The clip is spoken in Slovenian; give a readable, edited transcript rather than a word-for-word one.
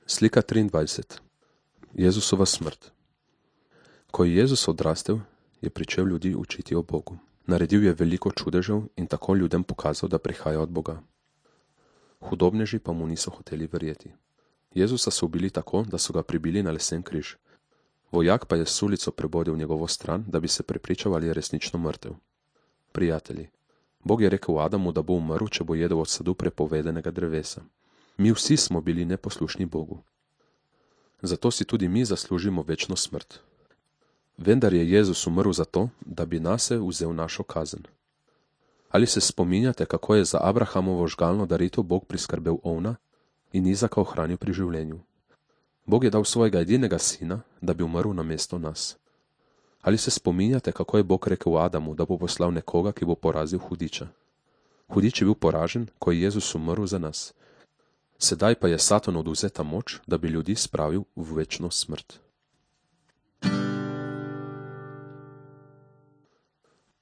Slika 23. Jezusova smrt. Ko je Jezus odrastel, je pričel ljudi učiti o Bogu. Naredil je veliko čudežev in tako ljudem pokazal, da prihaja od Boga. Hudobneži pa mu niso hoteli verjeti. Jezusa so ubili tako, da so ga pribili na lesen križ. Vojak pa je s sulico prebodel njegovo stran, da bi se prepričal, ali je resnično mrtev. Prijatelji, Bog je rekel Adamu, da bo umrl, če bo jedel od sadu prepovedanega drevesa. Mi vsi smo bili neposlušni Bogu. Zato si tudi mi zaslužimo večno smrt. Vendar je Jezus umrl zato, da bi nase vzel našo kazen. Ali se spominjate, kako je za Abrahamovo žgalno daritev Bog priskrbel ovna in Izaka ohranil pri življenju? Bog je dal svojega edinega sina, da bi umrl namesto nas. Ali se spominjate, kako je Bog rekel Adamu, da bo poslal nekoga, ki bo porazil hudiča? Hudič je bil poražen, ko je Jezus umrl za nas. Sedaj pa je Satan odvzeta moč, da bi ljudi spravil v večno smrt.